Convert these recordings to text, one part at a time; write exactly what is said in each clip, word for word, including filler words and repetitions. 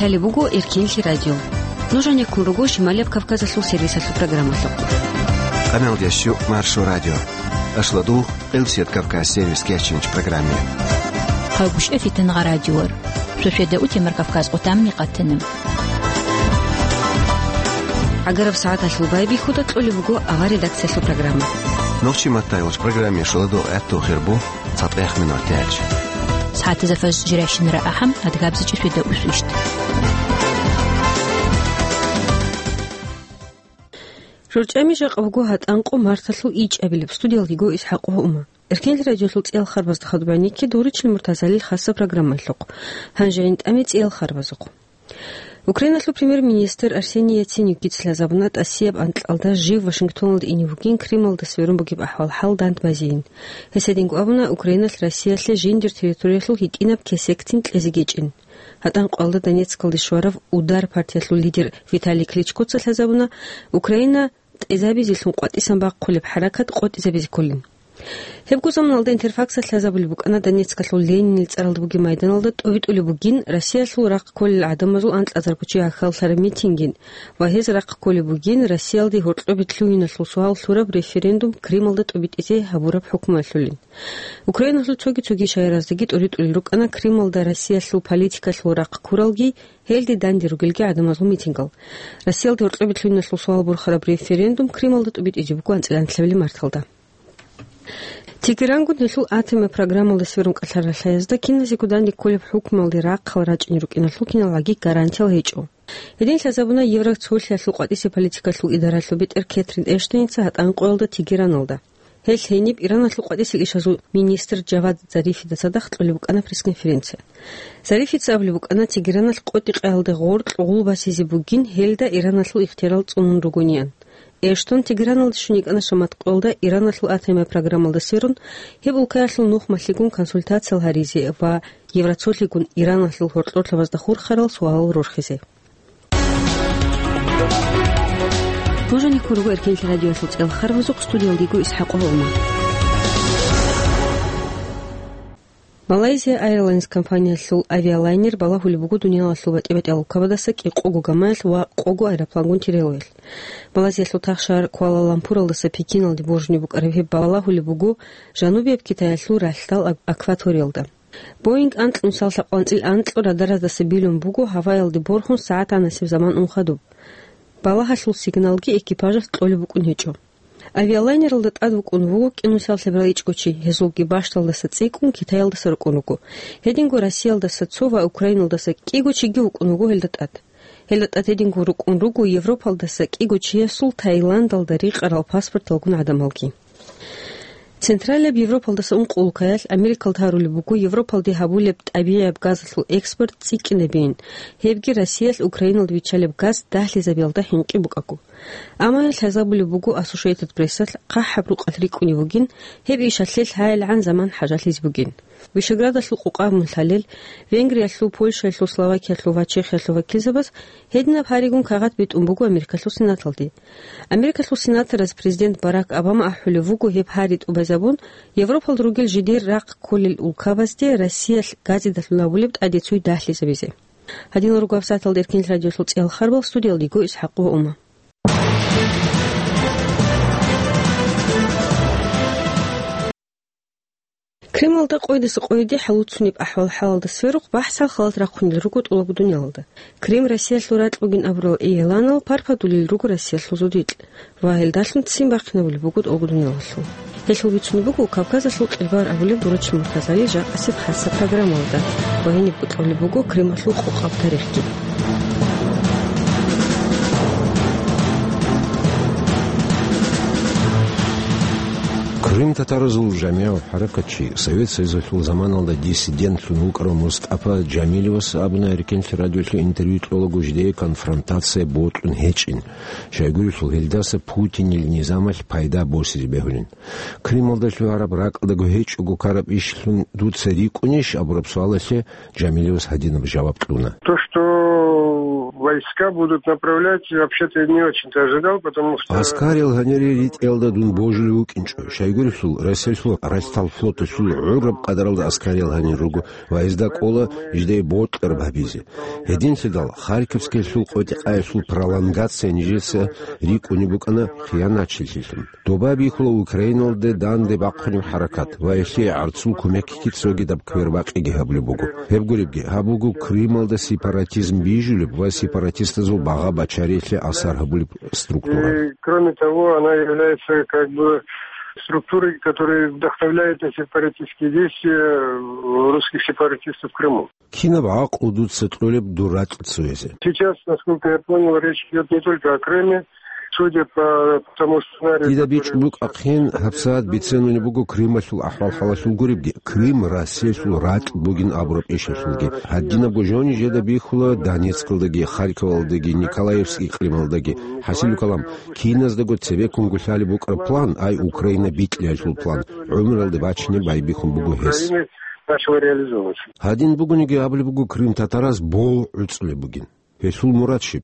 Лъалеб буго Эркенлъи радио. Нуж гьанеккун руго Шималияб Кавказалъул сервисалъул программалъухъ. Къаналдияс щу Маршо радио. Ашладу Элсият Кавказ сервис кечинч программе. Хъагушев Фитангъа радиор. Шошеда утемар Кавказ къутамни къатана. ГӀагараб сагӀаталъул байбихьуда кьолеб буго авар редакциялъул программа. Нохчи маттайолч программе шоладо гӀатту хирбу. ЦатӀех минут тяч. СагӀатазда фаж жирайщинара ахӀам, адгабзичӀи шведа усвищт. ЖурчӀами жакъа буго гьатӀанкъо марталъул ичӀабилеб, студиялдиго Исхьакъ Гьума. Эркенлъи радиолъул цӀиял харбазда хадубаники дуричил Муртазалил хасса программалъухъ. Гьанже гӀинтӀами цӀиял харбазухъ. Украиналъул премьер-министр Арсений Яценюкица лъазабуна тӀасияб анкьалда жив Вашингтоналда ине вугин Крималда сверун бугеб ахӀвал-хӀал дандбазейин. Гьес гьединго абуна, Украиналъ Россиялъе жиндир территориялъул гьитӀинаб кесектин кьезе гьечӀин. ГьатӀанкъоялда Донецкалде щварав «Удар» партиялъул лидер Виталий Кличкоца лъазабуна, Украина тӀезабизелъун къватӀисан бахъулеб хӀаракат къотӀизабизе кколин. Гьебго заманалда Интерфаксалъ лъазабулеб букӀана Донецкалъул Ленинил цӀаралда бугеб майданалда тӀобитӀулеб бугин Россиялъул рахъ кколел гӀадамазул анкьазарго чи гьахьаллъараб митингин ва гьез рахъ кколеб бугин Россиялде гьоркьоб лъугьиналъул суал лъураб референдум Крималда тӀобитӀизе гьабураб хӀукмуялъулин. Украиналъул цоги-цоги шагьараздаги тӀоритӀулел рукӀана Крималда Россиялъул политикалъул рахъ ккуралги, гьелде данде ругелги гӀадамазул митингал. Россиялде гьоркьоб лъугьиналъул суал борхараб референдум Крималда тӀобитӀизе буго анцӀила нилъабилеб марталда. Тегерангун гьелъул атомаб программалда сверун кӀалъаралъаязда киназего данде кколеб хӀукмуялде рахъал рачӀине рукӀиналъул киналгӀаги гарантиял гьечӀо. Гьедин лъазабуна Евроцолъиялъул къватӀисеб политикалъул идаралъул бетӀер Кэтрин Эштоница гьатӀанкъоялда Тегераналда. Гьелъ гьениб Ираналъул къватӀисел ишазул министр Джавад Зарифида цадахъ кьолеб букӀана пресс-конференция. Зарифица абулеб букӀана, Тегераналъ къотӀи-къаялде гъоркь гъулбасизе бугин, гьелда Ираналъул ихтиярал цӀунун ругониан. Эштон Тегераналде щун йикӀана шаматкъоялда Ираналъул атомай программалда сверун, гьеб улкаялъул нухмалъигун консультациял гьаризе ва Евроцолъигун Ираналъул гьоркьорлъабазда хурхарал суалал рорхизе. Нуж гьанеккун руго Эркенлъи радиоялъул цӀел харбазухъ, студиялдиго Исхьакъ Гьума. Malaysia Airlines компаниялъул авиалайнер балагьулеб буго дуниялалъул батӀи-батӀиял улкабадаса кӀикъого гамаялъ ва къого аэроплангун тиралаялъ. Малайзиялъул тахшагьар Куала-Лумпуралдаса Пекиналде боржунеб букӀараб гьеб балагьулеб буго Жанубияб Китаялъул ралъдал ак-, акваториялда. Боинг анкьнусал лъабкъанцӀил анкьго радараздаса билун буго гьаваялде борхун сагӀат гьанасеб заман ун хадуб. Балагьалъул сигналги экипажалъ кьолеб букӀун гьечӀо. Авиалайнералда тӀад вукӀун вуго кӀинусал лъабарал ичӀго чи, гьезулги бащдалдаса цӀикӀкӀун Китаялдаса рукӀун руго. Гьединго Россиялдаса цо ва Украиналдаса кӀиго чиги вукӀун вуго гьелда тӀад. Гьелда тӀад гьединго рукӀун руго Европалдаса кӀиго чиясул Таиландалда рикъарал паспорталгун гӀадамалги. Централияб Европалдаса ункъо улкаялъ Америкалда гьарулеб буго Европалде гьабулеб тӀабигӀияб газалъул экспорт цӀикӀкӀинабейин, гьебги Россиялъ Украиналда виччалеб газ дагьлъизабиялда хӀинкъи букӀаго. Амма гьел лъазабулеб буго Associated Press-алъ, хъахӀаб рукъалъ рикӀкӀунеб бугин, гьеб ишалъе лъаялгӀан заман хӀажалъизе бугин. Вишеградалъул къукъа мун лъалел, Венгриялъул, Польшаялъул, Словакиялъул ва Чехиялъул вакилзабаз гьединаб гьаригун кагъат битӀун буго Америкалъул Сенаталде. Америкалъул сенатораз президент Барак Обама ахӀулев вуго гьеб гьари тӀубазабун, Европалда ругел жидер рахъ кколел улкабазде Россиялъ газидалъун гьабулеб тӀаде цуй дагьлъизабизе. Гьадинал руго гьабсагӀаталда Эркенлъи радиолъул цӀиял харбал, студиялдиго Исхьакъ ва Ума. Крималда къойдаса къойде хӀалуцунеб ахӀвал-хӀалалда сверухъ бахӀсал халат рахъунел руго тӀолабго дуниялалда. Крим Россиялъул ракь бугин абурал игӀланал парпадулел руго Россиялъул зодикь ва гьелдалъун ццин бахъинабулеб буго тӀолабго дуниялалъул. Гьелъул бицунеб буго Кавказалъул кьелбагьар абулеб Дурачил Муртазалил жакъасеб хасса программалда ва гьениб кьолеб буго Крималъул къокъаб тарихги. Крым татаразул жамигӀав хӀаракатчи, Совет Союзалъул заманалда диссидентлъун вукӀарав МустӀафа Жамилевас абуна Эркенлъи радиолъе интервью кьолаго жидее конфронтация бокьун гьечӀин, щайгурелъул гьелдаса Путинил низамалъ пайда босизе бегьулин. Крималда лъугьараб ракӀалдаго гьечӀого ккараб ишлъун дуца рикӀкӀунищ абураб суалалъе Жамилевас гьадинаб жаваб кьуна. То, что войска будут направлять, вообще-то не очень-то ожидал, потому что... Аскарил гьанире ритӀиялда дун божулев вукӀинчӀо. Щайгурелъул, Россиялъул ралъдал флоталъул гӀураб къадаралда аскарил гьанир руго ва гьезда кӀола жидее бокьараб гьабизе. Гьединлъидал Харьковскиялъул къотӀи-къаялъул пролонгация нижеца рикӀкӀунеб букӀана хиянатчилъилъун. Доба бихьула Украиналде данде бахъунеб хӀаракат ва гьелъие гӀарцул кумекги цогидаб квербакъиги гьабулеб буго. Гьеб гуребги, гьаб буго Крымалда сепаратизм бижулеб ва сепаратистазул багъа-бачариялъе асар гьабулеб структура. И, кроме того, она является как бы структурой, которая вдохновляет на сепаратистские действия русских сепаратистов в Крыму. Кинаб гӀакълу дуца кьолеб дур ракь цоязе? Сейчас, насколько я понял, речь идёт не только о Крыме. Судя по тому сценарию, дида который бичӀчӀун букӀахъин, гьабсагӀат бицанунеб буго Крымалъул ахӀвал-хӀалалъул гуребги, Крым Россиялъул ракь бугин абураб ишалъулги. Гьадинабго жо нижеда бихьула Донецкалдаги, Харьковалдаги, Николаевск икълималдаги. ХӀасилу калам, киназдаго цебеккун гулъалеб букӀараб план, ай Украина бикьиялъул план, гӀумралде бачине байбихьун буго гьес. Украины начала реализовываться. Гьадин бугониги абулеб буго Крым татараз бо гӀуцӀулеб бугин. Гьелъул мурад щиб?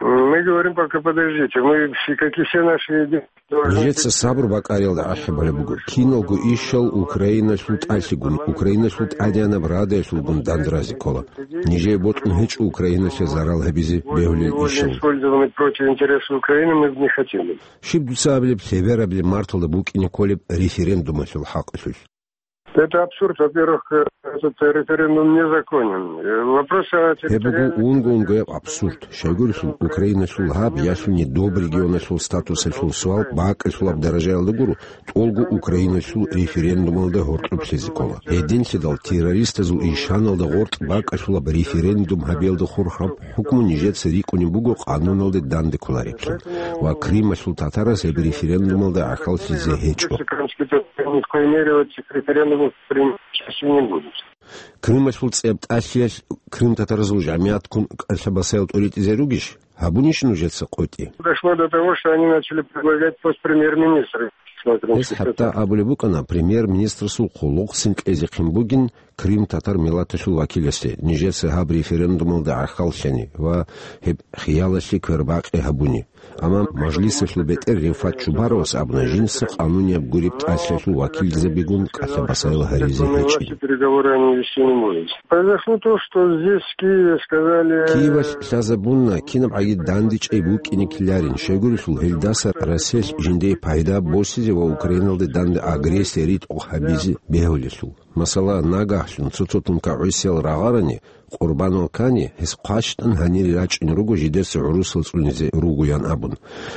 Мы говорим пока: «Подождите, мы все, как и все наши дети, должны...» Нижеца сабур бакӀариялда ахӀи балеб буго. Киналго ишал Украиналъул тӀалъигун, Украиналъул тӀадегӀанаб радиялъулгун дандразе ккола. Нижее бокьун гьечӀо Украиналъе зарал гьабизе бегьулел ишал. Использованы против интересов Украины мы не хотим. Щиб дуца абилеб, лъеберабилеб марталда букӀине кколеб референдумалъул хӀакъалъулъ? Это абсурд. Во-первых, э, этот референдум незаконен. Э, вопрос о... Гьеб буго территориальной... унго-унгояб абсурд. Щайгурелъул, Украиналъул гьаб ялъуни доб регионалъул статусалъул суал бакӀалъулаб даражаялда гуро, тӀолго Украиналъул референдумалда гьоркьоб лъезе ккола. Гьединлъидал террористазул ишаналда гъоркь бакӀалъулаб референдум гьабиялда хурхараб хӀукму нижеца рикӀкӀунеб буго къануналде данде кколареблъун, ва Крымалъул татараз гьеб референдумалда гӀахьаллъизе гьечӀо. Крымские татары ни в коей мере в этих референдумах принимать участие не будут. Крымалъул цӀеб тӀалъиялъ Крым татаразул жамигӀатккун кӀалъа-басаял тӀуритӀизе ругищ? Гьабунищ нужеца къотӀи? Дошло до того, что они начали предлагать пост премьер-министра. Гьес хӀатта абулеб букӀана премьер-министрасул хъулухъцин кьезехъин бугин Крым татар миллаталъул вакиласде, нижеца гьаб референдумалда гӀахьаллъани ва гьеб хиялалъе квербакъи гьабуни. Амма мажлисалъул бетӀер Рефат Чубаровас абуна жинца къанунияб гуреб тӀалъиялъул вакилзабигун кӀалъа-басаял гьаризе гьечӀин. Переговоры они вести не будут. Произошло то, что здесь, в Киеве, сказали... Киевалъ лъазабуна, кинаб гӀаги дандечӀей букӀине ккеларин, щайгурелъул гьелдаса Россиялъ жиндие пайда босизе ва Украиналде данде агрессия ритӀухъ гьабизе бегьулелъул. Масала, нагагьлъун цо-цо тункагӀусиял рагъарани, къурбанал ккани, гьес хъващтӀан гьанире рачӀун руго жидеца гӀурусал цӀунизе ругоян абун.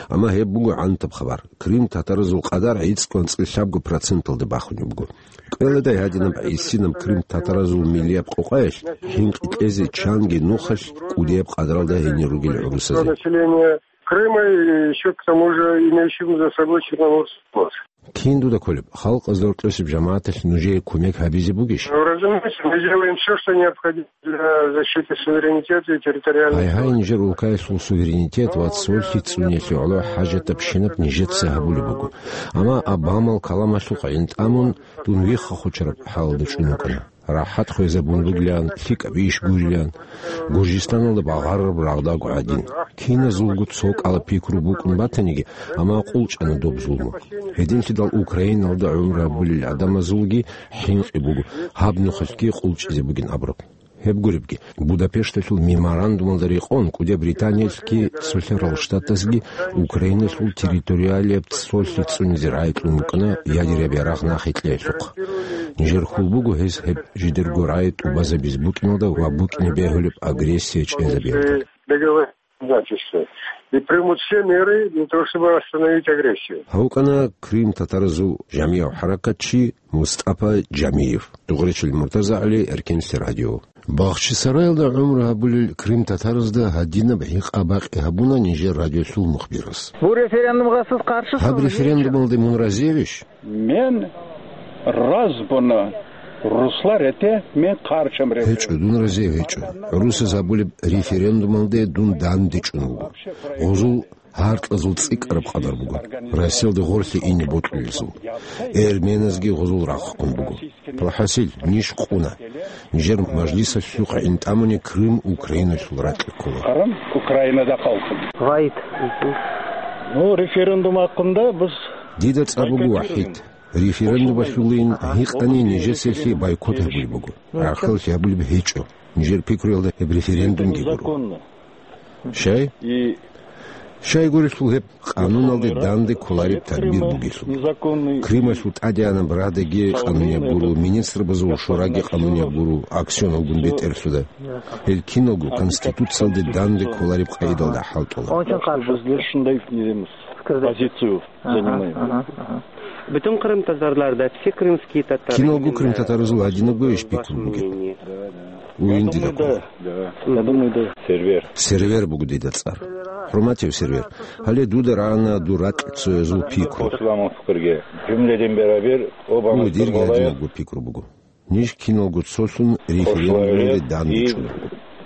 Амма гьеб буго гӀантаб хабар. Крым татаразул къадар гӀицӀкӀ анцӀила лъабго проценталда бахунеб буго. КӀвеладай гьадинаб гӀисинаб Крым татаразул миллияб къокъаялъ хӀинкъи кьезе чанги нухалъ кӀудияб къадаралда гьенир ругел гӀурусазе. Население Крыма и ещё к тому же имеющим за собой Черноморский флот. Кин дуда кколеб, халкъазда рокьосеб жамагӀаталъ нужее кумек гьабизе бугищ? Ну, разумеется, мы делаем всё, что необходимо для защиты суверенитета и территориальной целостности. Гьай-гьай, нижер улкаялъул суверенитет ва цолъи цӀуниялъе гӀоло хӀажатабщинаб нижеца гьабулеб буго. Амма Обамал каламалъухъ гӀинтӀамун дун вихха хучараб хӀалалда чӀун вукӀана. РахӀат хвезабун бугилан, лъикӀаб иш гурилан, Гуржистаналда багъарараб рагъдаго гӀадин. Киназулго цо кӀала пикру букӀун батаниги, амма къулчӀана доб зулму. Гьединлъидал Украиналда гӀумру гьабулел гӀадамазулги хӀинкъи буго, гьаб нухалъги къулчӀизе бугин абураб. Гьеб гуребги, Будапешталъул меморандумалда рекъон, КӀудияб Британиялъги Цолъарал Штатазги Украиналъул территориалияб цолъи цӀунизе рагӀи кьун букӀана ядераб ярагъ нахъе кьеялъухъ. Нижер хьул буго гьез гьеб жидерго рагӀи тӀубазабиз букӀиналда ва букӀине бегьулеб агрессия чӀезабиялда. Договор обязательства и примут все меры для того, чтобы остановить агрессию. Гьавкана Крым татаразул жамигӀав хӀаракатчи МустӀапа Жамиев. Дугъречил МуртазагӀли, Эркенлъи радио. Бахчисараялда гӀумру гьабулел Крым татаразда гьадинаб гьикъа-бакъи гьабуна нижер радиолъул мухбирас. Бу референдумгъасыз къаршисыз. Гьаб референдумалде мун разиевищ? Мен разбуна русла рете, мен къарчам референдум. ГьечӀо, дун разиев гьечӀо. ГӀурусаз абулеб референдумалде дун дандечӀун вуго. Гъузул гьаркьазул цӀикӀкӀараб къадар буго, Россиялде гъорлъе ине бокьулезул. Эрменазги гъозул рахъун буго. Палхасил, ниж къуна. Нижер мажлисалъухъ гӀин тӀамуни Крым Украиналъул ракье ккола. Qırım Ukrainada qalsın. Вайт. Ну, референдум гьакъунда биз Дида цӀар буго ВахӀид. Референдумалъулин гьикъани нижецалъе бойкот гьабулеб буго. Рахъалъи гьабулеб гьечӀо. Нижер пикруялда гьеб референдумги гуро. Щай? Щайгурелъул гьеб къануналде данде кколареб тадбир бугелъул. Крымалъул тӀадегӀанаб Радаги къанунияб гуро, министрбазул шораги къанунияб гуро, аксионалгун бетӀерлъуда. Гьел киналго Конституциялде данде кколареб къагӀидалда хӀалтӀула. Бизлер шундай позицию занимаем. Бутун крымтатарларда, все крымские татары. Киналго крымтатаразул гьадинабго иш пикру бугеб. Уин дида ккола. Сервер. Сервер буго дида цӀар. ХӀурматияв Сервер, гьале дуда рагӀана дур ракьцоязул пикру. Исламовскийги. Жумледин берабер оба. Гьу, дирги гьадинабго пикру буго. Ниж киналго цолъун референдумалде данде чӀун.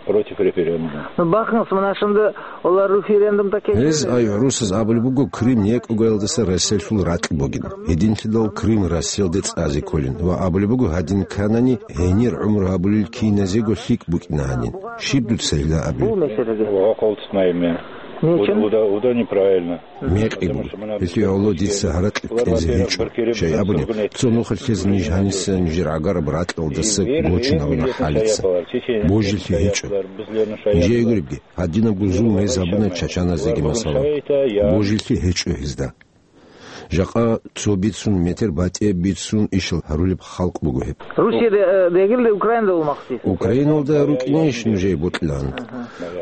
Против референдума. Ну, бахъинас мунашимда олар референдум такие. Гьез ай гӀурусаз абулеб буго, Крым некӀогоялдаса Россиялъул ракь бугин. Гьединлъидал Крым Россиялде цӀазе кколин ва абулеб буго, гьадин кканани, гьенир гӀумру гьабулел киназего лъикӀ букӀина гьанин. Щиб дуца гьила абулеб? Бу меселеге. Ва хъалтнайме. Нечен? Уда, уда, уда неправильно. Мекъи гуро. Гьелъие гӀоло дица гьаракь кьезе гьечӀо. Щай абуни, цо нухалъ ниж гьаниса нижер гӀагараб ракьалдаса гочинаруна хӀалица. Божилъи гьечӀо. Нижее гуребги, гьадинабго зулм гьез гьабуна чачаназеги масала. Божилъи гьечӀо гьезда. Жакъа цо бицун, метр батӀияб бицун ишал гьарулеб халкъ буго гьеб. Русияда, э, дегилде Украинада вумахсис. Украиналда рукӀинейищ нужее бокьилан?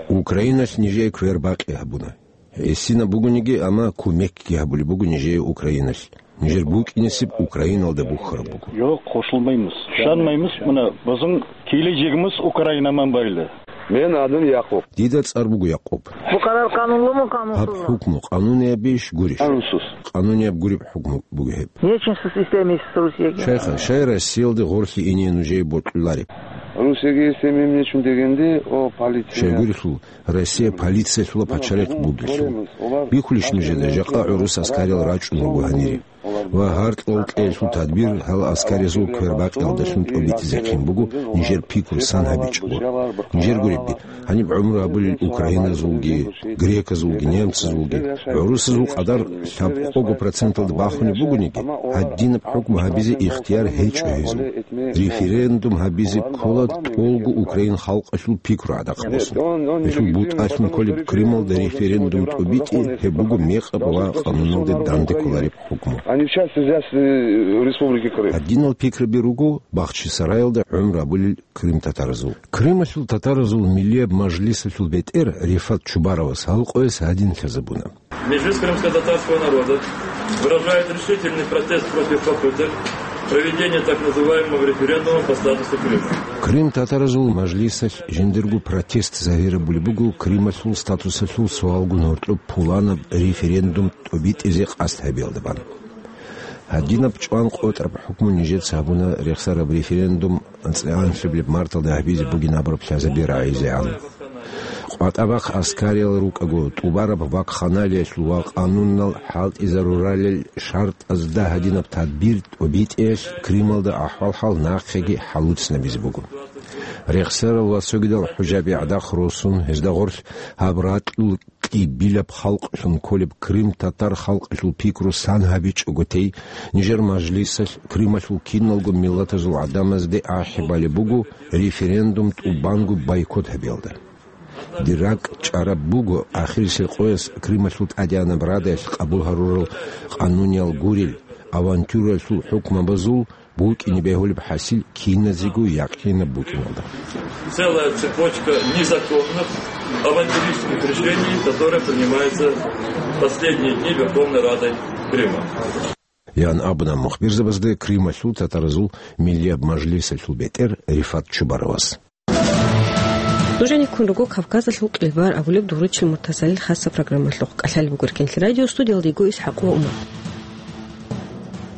Украиналъ нижее квербакъи гьабуна. Гьесинаб бугониги, амма кумекги гьабулеб буго нижее Украиналъ. Нижер букӀинесеб Украиналда бухьараб буго. Йо, къошулмаймус. Шанмаймус, муна, бозун киле жигмус Украинаман байла. Мен адум Якъуб. Дида цӀар буго Якъуб. Бу къарар къанунлуму, къанунсузму? Гьаб хӀукму къануниябищ гурищ? Къанунсуз. Къанунияб гуреб хӀукму буго гьеб. Нечинсус истемис Русиеги. Шайха, щай Россиялде гъорлъе ине нужее бокьулареб? Русиеги истемим нечун дегенде, о, полиция. Щайгурелъул, Россия полициялъула пачалихъ бугелъул. Бихьулищ нужеда, жакъа гӀурус аскариял рачӀун руго гьанире. Ва гьаркьал кьеялъул тадбир гьал аскаризул квербакъиялдалъун тӀобитӀизехъин буго, нижер пикру сан гьабичӀого. Нижер гуребги, гьаниб гӀумру гьабулел украиназулги, греказулги, немцазулги, гӀурусазул къадар лъабкъого проценталда бахунеб бугониги, гьадинаб хӀукму гьабизе ихтияр гьечӀо гьезул. Референдум гьабизе ккола тӀолго украин халкъалъул пикру гӀадахъ босун. Гьелъул бутӀалъун кколеб Крымалда референдум тӀобитӀи, гьеб буго мекъаб ва къануналде данде кколареб хӀукму. Они в части взять, э, Республики Крым. Гьадинал пикраби руго Бахчисараялда гӀумру гьабулел крымтатаразул. Крымалъул татаразул миллияб мажлисалъул бетӀер Рифат Чубаровас гьал къояс гьадин лъазабуна. Межлис крымско-татарского народа выражает решительный протест против попыток проведения так называемого референдума по статусу Крыма. Крым татаразул мажлисалъ жиндирго протест загьирабулеб буго Крымалъул статусалъул суалгун гьоркьоб пуланаб референдум тӀобитӀизе къасд гьабиялда бан. Гьадинаб чӀван къотӀараб хӀукму нижеца гьабуна рехсараб референдум анцӀила анлъабилеб марталда гьабизе бугин абураб лъазаби рагӀизегӀан. КъватӀа бахъ аскариял рукӀаго, тӀубараб вакханалиялъул ва къанунал хӀалтӀизаруралел шартӀазда гьадинаб тадбир тӀобитӀиялъ Крымалда ахӀвал-хӀал нахъеги хӀалуцинабизе буго. Рехсарал ва цогидал хӀужаби гӀадахъ росун, гьезда гъорлъ гьаб ракьул кьибилаб халкълъун кколеб крым-татар халкъалъул пикру сан гьабичӀого тей, нижер мажлисалъ Крымалъул киналго миллатазул гӀадамазде ахӀи балеб буго референдум тӀубанго бойкот гьабиялда. Дир ракӀ чӀараб буго, ахирисел къояс Крымалъул тӀадегӀанаб Радаялъ къабул гьарурал къануниял гурел авантюраялъул хӀукмабазул букӀине бегьулеб хӀасил киназего якъинаб букӀиналда. Целая цепочка незаконных, авантюристских решений, которые принимаются в последние дни Верховной Радой Крыма. Ян абуна мухбирзабазда Крымалъул татаразул миллияб мажлисалъул бетӀер Рифат Чубаровас. Нуж гьаниб ккун руго Кавказалъул кьибар абулеб Дугъричил Муртазалил хасаб программалъухъ. КӀалъалеб буго Эркенлъи радио, студиялда йиго ИсхӀакъ ва Умар.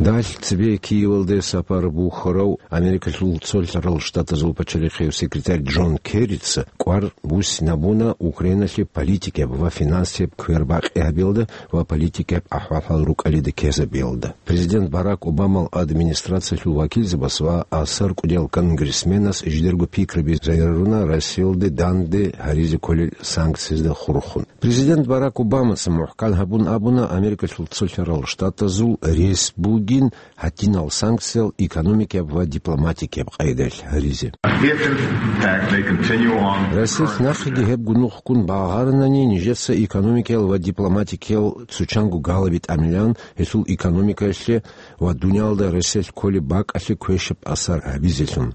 Далъ цебе Киевалде сапар бухьарав Америкалъул Цолъарал Штатазул пачалихъев секретарь Джон Керрица кӀвар буссинабуна Украиналъе политикаб ва финансияб квербакъи гьабиялда ва политикаб ахӀвал-хӀал рукӀалида ккезабиялда. Президент Барак Обамал администрациялъул вакилзабаз ва асар кӀудиял конгрессменаз жидерго пикраби зарируна Россиялде данде гьаризе кколел санкциязда хурхун. Президент Барак Обамаца мухӀкан гьабун абуна Америкалъул Цолъарал Штатазул рес бугин гьадинал санкциял экономикияб ва дипломатикияб къайдаялъ гьаризе. If, in fact, they continue on Россиялъ нахъеги гьеб гунухккун багъаранани, нижеца экономикиял ва дипломатикиял цучанго галаби тӀамилан гьелъул экономикаялъе ва дуниялда Россиялъ кколеб бакӀалъе квешаб асар гьабизелъун.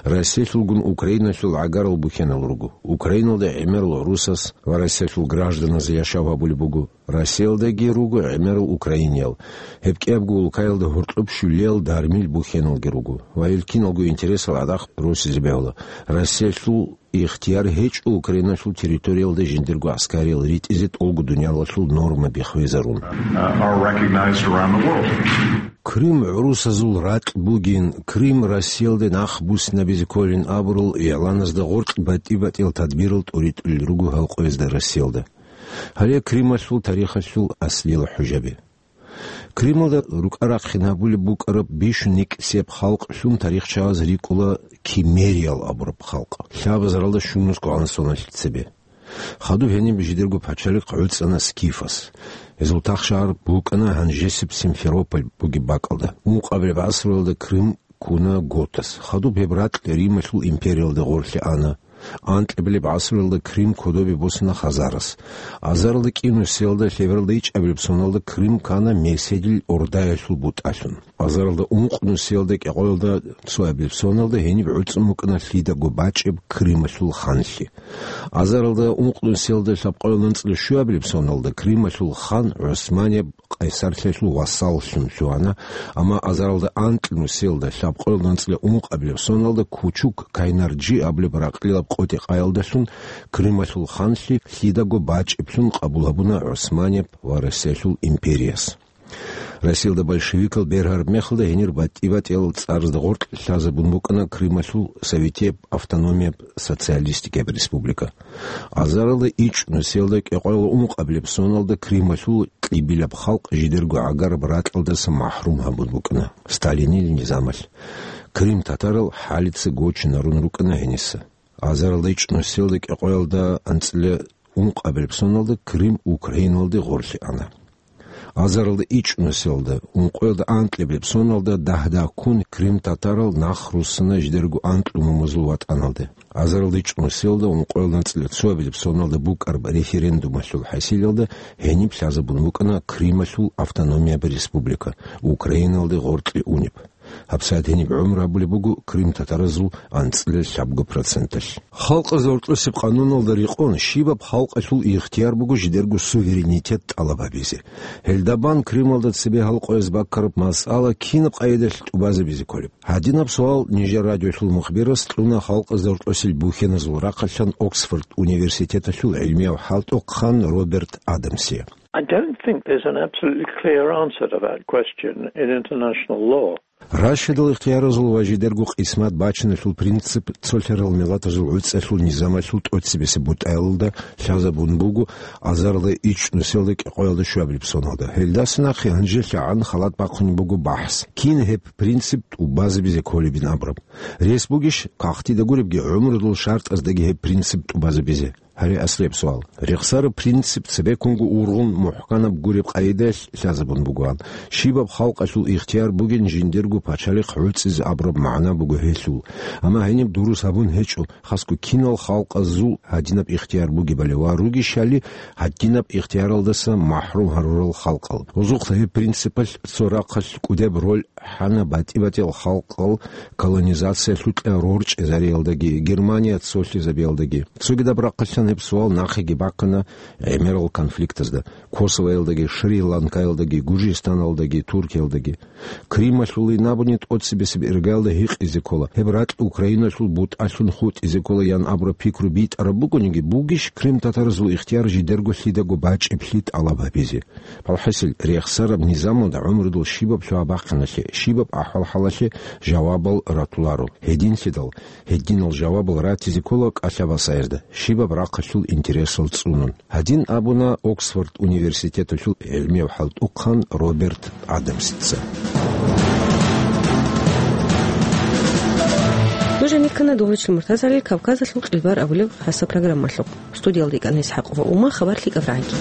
Россиялъулгун Украиналъул гӀагарал бухьенал руго. Украиналда гӀемерал гӀурусаз ва Россиялъул гражданаз яшав гьабулеб буго. Россиялдаги руго гӀемерал украиниял. Гьеб кӀиябго улкаялда гьоркьоб щулиял дармил бухьеналги руго. Ва гьел киналго интересал гӀадахъ росизе бегьула. Россиялъул ихтияр гьечӀо Украиналъул территориялда жиндирго гӀаскариял ритӀизе тӀолго дуниялалъул нормаби хвезарун. Uh, are recognized around the world. Крым гӀурусазул ракь бугин, Крым Россиялде нах буссинабизе кколин абурал игӀланазда гъоркь батӀи-батӀиял тадбирал тӀуритӀулел руго гьал къоязда Россиялда. Гьале Крымалъул тарихалъул аслиял хӀужаби. Крымалда рукӀа-рахъин гьабулеб букӀараб бищун никӀсияб халкълъун тарихчагӀаз рикӀкӀуна киммериял абураб халкъ, лъабазаралда щунусго гӀан соналъ цебе. Хадуб гьениб жидерго пачалихъ гӀуцӀана скифаз. Гьезул тахшагьар букӀана гьанжесеб Симферополь бугеб бакӀалда. Ункъабилеб гӀасруялда Крым ккуна готаз. Хадуб гьеб ракь Рималъул империялда гъорлъе ана. Анкьабилеб гӀасруялда Крым кодобе босана хазарас. Азаралда кӀи нусиялда лъебералда ичӀабилеб соналда Крым ккана Меседил Ордаялъул бутӀалъун. Азаралда ункъ нусиялда кӀикъоялда цоабилеб соналда гьениб гӀуцӀун букӀана лъидаго бачӀеб Крымалъул ханлъи. Азаралда ункъ нусиялда лъабкъоялда анцӀила щуабилеб соналда Крымалъул хан ГӀусманияб Къайсарлъиялъул вассаллъун лъугьана, амма азаралда анкьнусиялда лъабкъоялда анцӀила ункъабилеб соналда Кучук Кайнарджи абулеб ракьилаб къотӀи-къаялдалъун Крымалъул ханлъи лъидаго бачӀеблъун къабул гьабуна ГӀусманияб ва Россиялъул империяс. Россиялда большевикал бергьараб мехалда гьенир батӀи-батӀиял цӀарзда гъоркь лъазабун букӀана Крымалъул Советияб автономияб социалистикаб республика. Азаралда ичӀнусиялда кӀикъоялда ункъабилеб соналда Крымалъул кьибилаб халкъ жидерго гӀагараб ракьалдаса махӀрум гьабун букӀана Сталинил низамалъ. Крым татарал хӀалица гочинарун рукӀана гьениса. Азаралда ичӀнусиялда кӀикъоялда анцӀила ункъабилеб соналда Крым Украиналде гъорлъе ана. Азаралда ичӀнусиялда ункъоялда анкьабилеб соналда дагь-дагьккун Крым татарал нах руссана жидерго анкьнумазул ватӀаналде. Азаралда ичӀнусиялда ункъоялда анцӀила цоабилеб соналда букӀараб референдумалъул хӀасилалда гьениб лъазабун букӀана Крымалъул автономияб республика, Украиналде гъоркье унеб. ГьабсагӀат гьениб гӀумру гьабулеб буго крымтатаразул анцӀила лъабго проценталъ. Халкъазда гьоркьосеб къануналда рекъон, щибаб халкъалъул ихтияр буго жидерго суверенитет тӀалаб гьабизе. Гьелда бан Крымалда цебе гьал къояз баккараб масъала кинаб къайдалъ тӀубазабизе кколеб? Гьадинаб суал нижер радиолъул мухбирас кьуна халкъазда гьоркьосел бухьеназул рахъалъан Оксфорд университеталъул гӀилмияв хӀалтӀухъан Роберт Адамсе. I don't think there's an absolutely clear answer to that question in international law. Рашидал ихтияразул ва жидерго къисмат бачиналъул принцип цолъарал миллатазул гӀуцӀалъул низамалъул тӀоцебесеб бутӀаялда лъазабун буго азарда ичӀнусиялда кӀикъоялда щуабилеб соналда. Гьелдаса нахъе гьанжелъагӀан халат бахъунеб буго бахӀс, кин гьеб принцип тӀубазабизе кколебин абураб. Рес бугищ кагътида гуребги гӀумрудул шартӀаздаги гьеб принцип тӀубазабизе? Гьаре аслияб суал. Рехсараб принцип цебеккунго ургъун мухӀканаб гуреб къайдаялъ лъазабун бугоан. Щибаб халкъалъул ихтияр бугин жиндирго пачалихъ гӀуцӀизе абураб магӀна буго гьелъул. Амма гьениб дурус гьабун гьечӀо, хасго кинал халкъазул гьадинаб ихтияр бугебали ва ругищали гьадинаб ихтияралдаса махӀрум гьарурал халкъал. Гьезухъа гьеб принципалъ цо рахъалъ кӀудеб роль хӀана батӀи-батӀиял халкъал колонизациялъукьа рорчӀезариялдаги, Германия цолъизабиялдаги. Цогидаб рахъалъан Гьеб суал нахъеги бахъана гӀемерал конфликтазда: Косовоялдаги, Шри-Ланкаялдаги, Гужистаналдаги, Туркиялдаги. Крималъулин абуни тӀоцебесеб иргаялда гьикъизе ккола, гьеб ракь Украиналъул бутӀалъун хутӀизе ккола ян абураб пикру битӀараб бугониги, бугищ крим-татаразул ихтияр жидерго лъидаго бачӀиблъи тӀалаб гьабизе? БалхӀасил, рехсараб низамалда гӀумрудул щибаб лъугьа-бахъиналъе, щибаб ахӀвал-хӀалалъе жавабал ратуларо. Гьединлъидал, гьединал жавабал ратизе ккола кӀалъабасаерда, щибаб рахъалъул интересал цӀунун. Гьадин абуна Оксфорд университеталъул гӀилмияв хӀалтӀухъан Роберт Адамсица. Нуж гьанир ккана дугьручил муртазали Кавказалъул къилбар абулеб хасаб программалъухъ. Студиялда икӀана ИсхӀакъ ва Ума, хабар лъикӀаб рагӀаги.